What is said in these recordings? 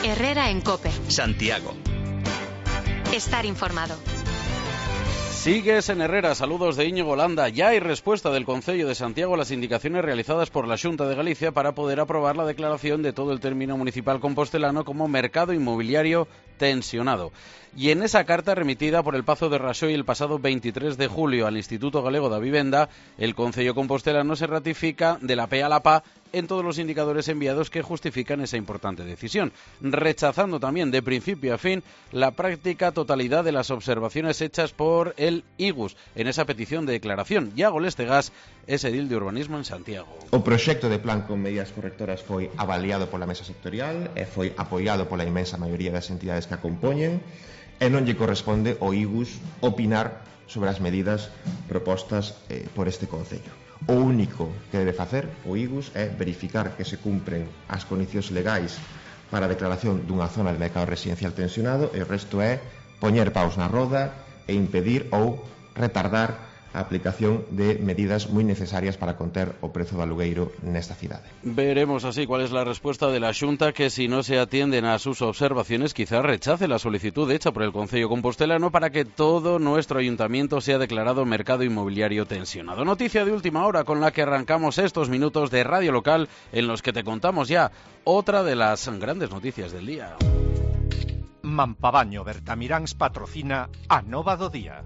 Herrera en COPE. Santiago. Estar informado. Sigues en Herrera, saludos de Íñigo Landa. Ya hay respuesta del Concello de Santiago a las indicaciones realizadas por la Xunta de Galicia para poder aprobar la declaración de todo el término municipal compostelano como mercado inmobiliario tensionado. Y en esa carta remitida por el Pazo de Raxoi el pasado 23 de julio al Instituto Galego da Vivenda, el Concello compostelano se ratifica de la P a la PA en todos los indicadores enviados que justifican esa importante decisión, rechazando también de principio a fin la práctica totalidad de las observaciones hechas por el IGUS en esa petición de declaración. Iago Lestegas es edil de urbanismo en Santiago. O proxecto de plan con medidas correctoras foi avaliado pola mesa sectorial e foi apoiado pola inmensa maioría das entidades que a compoñen e non lle corresponde ao IGUS opinar sobre as medidas propostas por este Concello. O único que debe facer o IGUS é verificar que se cumpren as condicións legais para a declaración dunha zona de mercado residencial tensionado e o resto é poñer paus na roda e impedir ou retardar a aplicación de medidas moi necesarias para conter o prezo do alugueiro nesta cidade. Veremos así cuál es la respuesta de la Xunta, que si no se atienden a sus observaciones quizás rechace la solicitud hecha por el Concello compostelano para que todo nuestro ayuntamiento sea declarado mercado inmobiliario tensionado. Noticia de última hora con la que arrancamos estos minutos de Radio Local en los que te contamos ya otra de las grandes noticias del día. Mampabaño Bertamiráns patrocina a Nova do Día.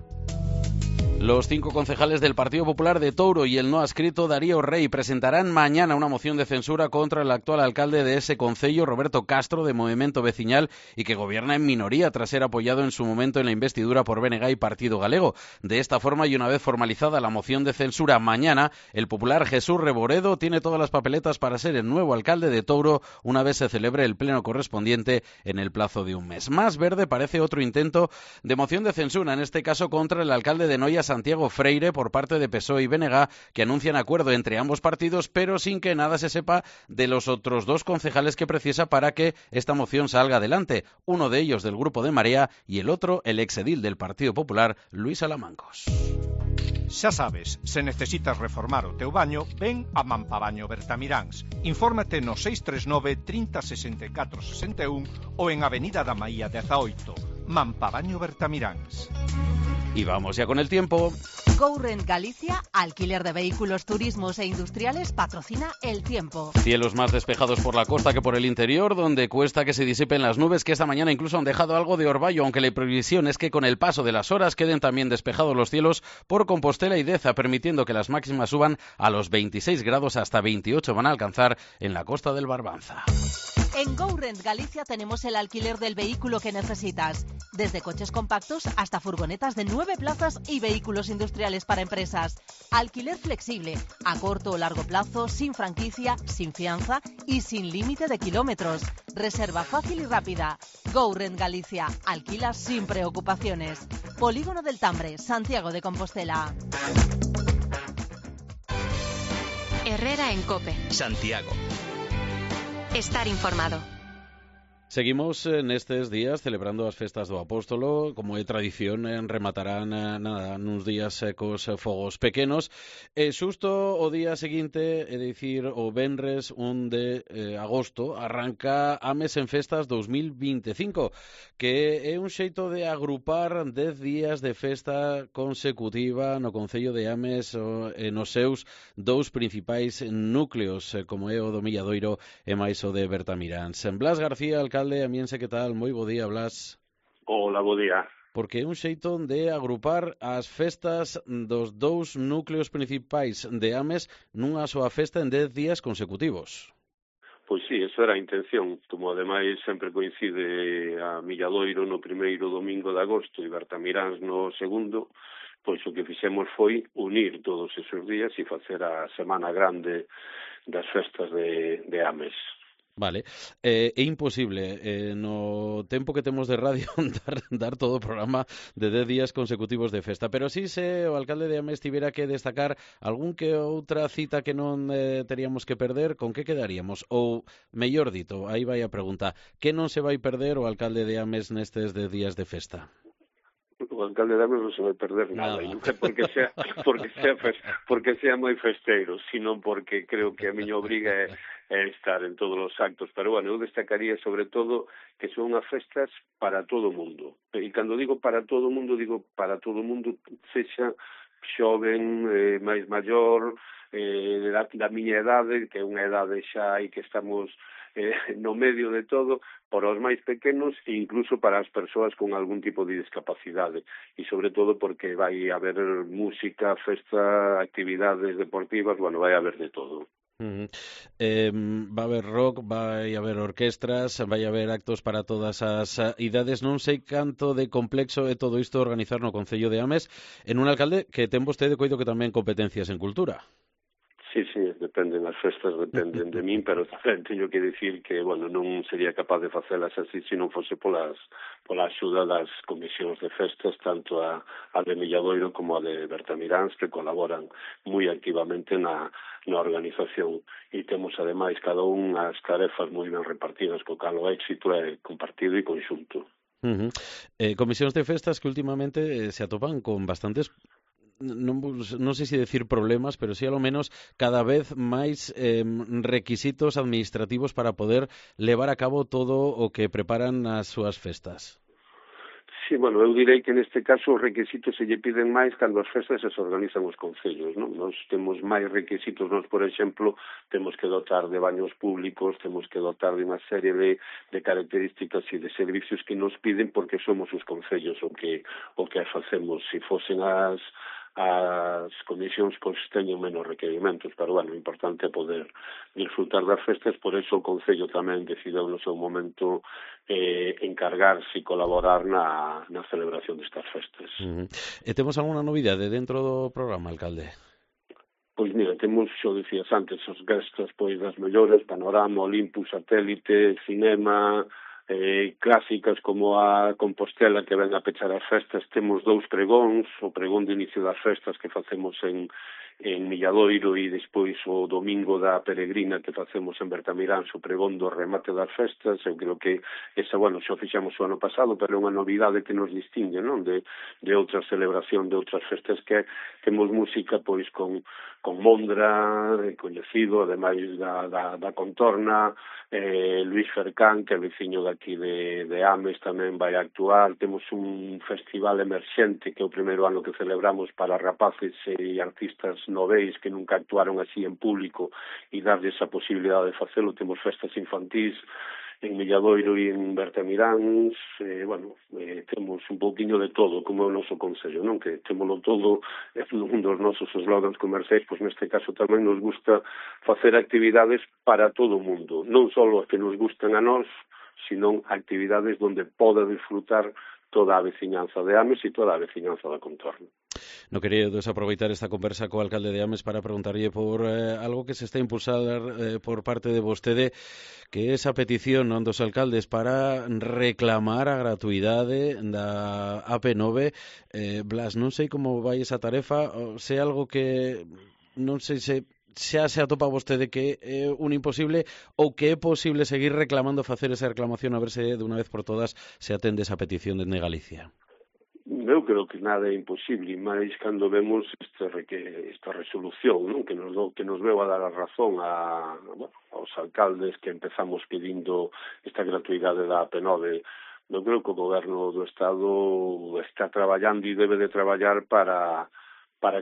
Los 5 concejales del Partido Popular de Touro y el no adscrito Darío Rey presentarán mañana una moción de censura contra el actual alcalde de ese concello, Roberto Castro, de Movimento Veciñal, y que gobierna en minoría tras ser apoyado en su momento en la investidura por BNG y Partido Galego. De esta forma, y una vez formalizada la moción de censura mañana, el popular Jesús Reboredo tiene todas las papeletas para ser el nuevo alcalde de Touro una vez se celebre el pleno correspondiente en el plazo de un mes. Más verde parece otro intento de moción de censura, en este caso contra el alcalde de Noia, Santiago Freire, por parte de PSOE y BNG, que anuncian acuerdo entre ambos partidos, pero sin que nada se sepa de los otros 2 concejales que precisa para que esta moción salga adelante. Uno de ellos del grupo de Marea y el otro el exedil del Partido Popular, Luis Alamancos. Xa sabes, se necesitas reformar o teu baño, ven a Mampabaño Bertamiráns. Infórmate no 639 30 64 61 ou en Avenida da Maía 18. Mampabaño Bertamiráns. Y vamos ya con el tiempo. GoRent Galicia, alquiler de vehículos, turismos e industriales, patrocina el tiempo. Cielos más despejados por la costa que por el interior, donde cuesta que se disipen las nubes, que esta mañana incluso han dejado algo de orvallo, aunque la previsión es que con el paso de las horas queden también despejados los cielos por Compostela y Deza, permitiendo que las máximas suban a los 26 grados, hasta 28 van a alcanzar en la costa del Barbanza. En GoRent Galicia tenemos el alquiler del vehículo que necesitas, desde coches compactos hasta furgonetas de 9 plazas y vehículos industriales para empresas. Alquiler flexible, a corto o largo plazo, sin franquicia, sin fianza y sin límite de kilómetros. Reserva fácil y rápida. GoRent Galicia, alquila sin preocupaciones. Polígono del Tambre, Santiago de Compostela. Herrera en COPE. Santiago. Estar informado. Seguimos nestes días celebrando as festas do Apóstolo, como é tradición, rematarán nuns días cos fogos pequenos. Xusto o día seguinte, é dicir, o venres 1 de agosto, arranca Ames en Festas 2025, que é un xeito de agrupar 10 días de festa consecutiva no Concello de Ames nos seus 2 principais núcleos, como é o do Milladoiro e máis o de Bertamiráns. Blas García, alcalde, amiense, que tal? Moi bo día, Blas. Hola, bo día. Porque é un xeito de agrupar as festas dos 2 núcleos principais de Ames nunha soa festa en 10 días consecutivos. Pois sí, esa era a intención, como ademais sempre coincide a Milladoiro no primeiro domingo de agosto e Bertamiráns no segundo, pois o que fixemos foi unir todos esos días e facer a semana grande das festas de Ames. Vale, é imposible no tempo que temos de radio dar todo o programa de 10 días consecutivos de festa, pero si se o alcalde de Ames tivera que destacar algún que outra cita que non teríamos que perder, con que quedaríamos? Ou, mellor dito, aí vai a pregunta, que non se vai perder o alcalde de Ames nestes 10 días de festa? O alcalde de Ames non se vai perder nada. Non é porque sea moi festeiro, sino porque creo que a miña obriga é estar en todos os actos, pero bueno, eu destacaría sobre todo que son as festas para todo o mundo. E cando digo para todo o mundo, sexa xoven, máis maior, da miña idade, que é unha idade xa aí que estamos no medio de todo, para os máis pequenos e incluso para as persoas con algún tipo de discapacidade, e sobre todo porque vai haber música, festa, actividades deportivas, bueno, vai haber de todo. Va a haber rock, vai haber orquestras, vai haber actos para todas as idades. Non sei canto de complexo é todo isto organizar no Concello de Ames en un alcalde que ten vostede, coido que tamén competencias en cultura. Sí, dependen, as festas dependen de min, pero tamén teño que dicir que, bueno, non sería capaz de facelas así se non fose pola axuda das comisións de festas, tanto a de Milladoiro como a de Bertamiráns, que colaboran moi activamente na organización, e temos ademais cada un as tarefas moi ben repartidas, co cal o éxito é compartido e conxunto. Comisións de festas que últimamente se atopan con bastantes, non sei se decir problemas, pero sí a lo menos cada vez máis requisitos administrativos para poder levar a cabo todo o que preparan as súas festas. Sí, bueno, eu direi que neste caso os requisitos se lle piden máis cando as festas se organizan os concellos, non? Nos temos máis requisitos, nos, por exemplo, temos que dotar de baños públicos, temos que dotar de unha serie de características e de servicios que nos piden porque somos os concellos o que facemos. Se fosen as comisións, pois teñen menos requerimentos, pero bueno, o importante é poder disfrutar das festas, por eso o Concello tamén decidiu no seu momento encargarse e colaborar na celebración destas festas. E temos algunha novidade dentro do programa, alcalde? Pois mira, temos, xo dicías antes, as gestas pois das mellores, Panorama, Olympus, Satélite, Cinema, clásicas como a Compostela que ven a pechar as festas. Temos 2 pregóns, o pregón de inicio das festas que facemos en Milladoiro e despois o domingo da peregrina que facemos en Bertamiráns, o pregón do remate das festas. Eu creo que esa, bueno, xa fixamos o ano pasado, pero é unha novidade que nos distingue, non, de outra celebración, de outras festas, que temos música pois con Mondra, coñecido, ademais da Contorna, Luis Fercán, que é veciño daqui de Ames, tamén vai actuar. Temos un festival emerxente que é o primeiro ano que celebramos para rapaces e artistas noveis que nunca actuaron así en público e darlle esa posibilidade de facelo. Temos festas infantís en Milladoiro e en Bertamiráns, temos un pouquiño de todo, como é o noso Concello, non? Que témolo todo, é un dos nosos eslogans comerciais, pois neste caso tamén nos gusta facer actividades para todo o mundo, non só as que nos gustan a nós, sino actividades onde poda disfrutar toda a veciñanza de Ames e toda a veciñanza da Contorna. No quería desaproveitar esta conversa co alcalde de Ames para preguntarlle por algo que se está a impulsar por parte de vostede, que é esa petición dos alcaldes para reclamar a gratuidade da AP9. Blas, non sei como vai esa tarefa, se é algo que non sei se xa se atopa vostede que é un imposible ou que é posible seguir reclamando, facer esa reclamación, a ver se de unha vez por todas se atende esa petición de Galicia. Eu creo que nada é imposible, máis cando vemos esta resolución, non? que nos veu a dar a razón aos alcaldes que empezamos pedindo esta gratuidade da AP9. Eu creo que o goberno do Estado está traballando e debe de traballar para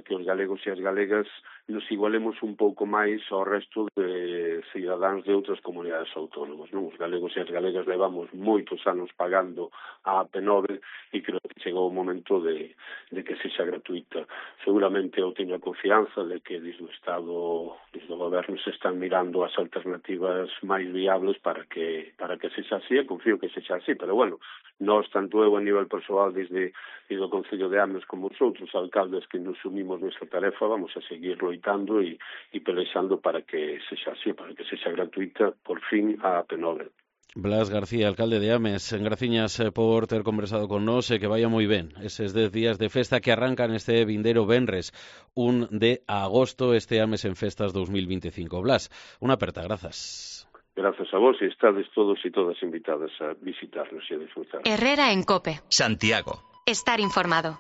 que os galegos e as galegas nos igualemos un pouco máis ao resto de cidadáns de outras comunidades autónomas, non? Os galegos e as galegas levamos moitos anos pagando a AP9 e creo que chegou o momento de que sexa gratuita. Seguramente eu teño a confianza de que desde o Estado, desde o goberno, se están mirando as alternativas máis viables para que sexa así, e confío que sexa así, pero bueno, nós, tanto eu a nivel persoal desde o Concello de Ames como os outros alcaldes que nos unimos nesta tarefa, vamos a seguir loitando e pelexando para que sexa así, para que sexa gratuita por fin a AP9. Blas García, alcalde de Ames, graciñas por ter conversado con nós e que vaya moi ben eses 10 días de festa que arrancan este vindeiro venres 1 de agosto, este Ames en Festas 2025. Blas, unha aperta, grazas. Grazas a vos e estades todos e todas invitadas a visitarnos e a disfrutar. Herrera en COPE. Santiago. Estar informado.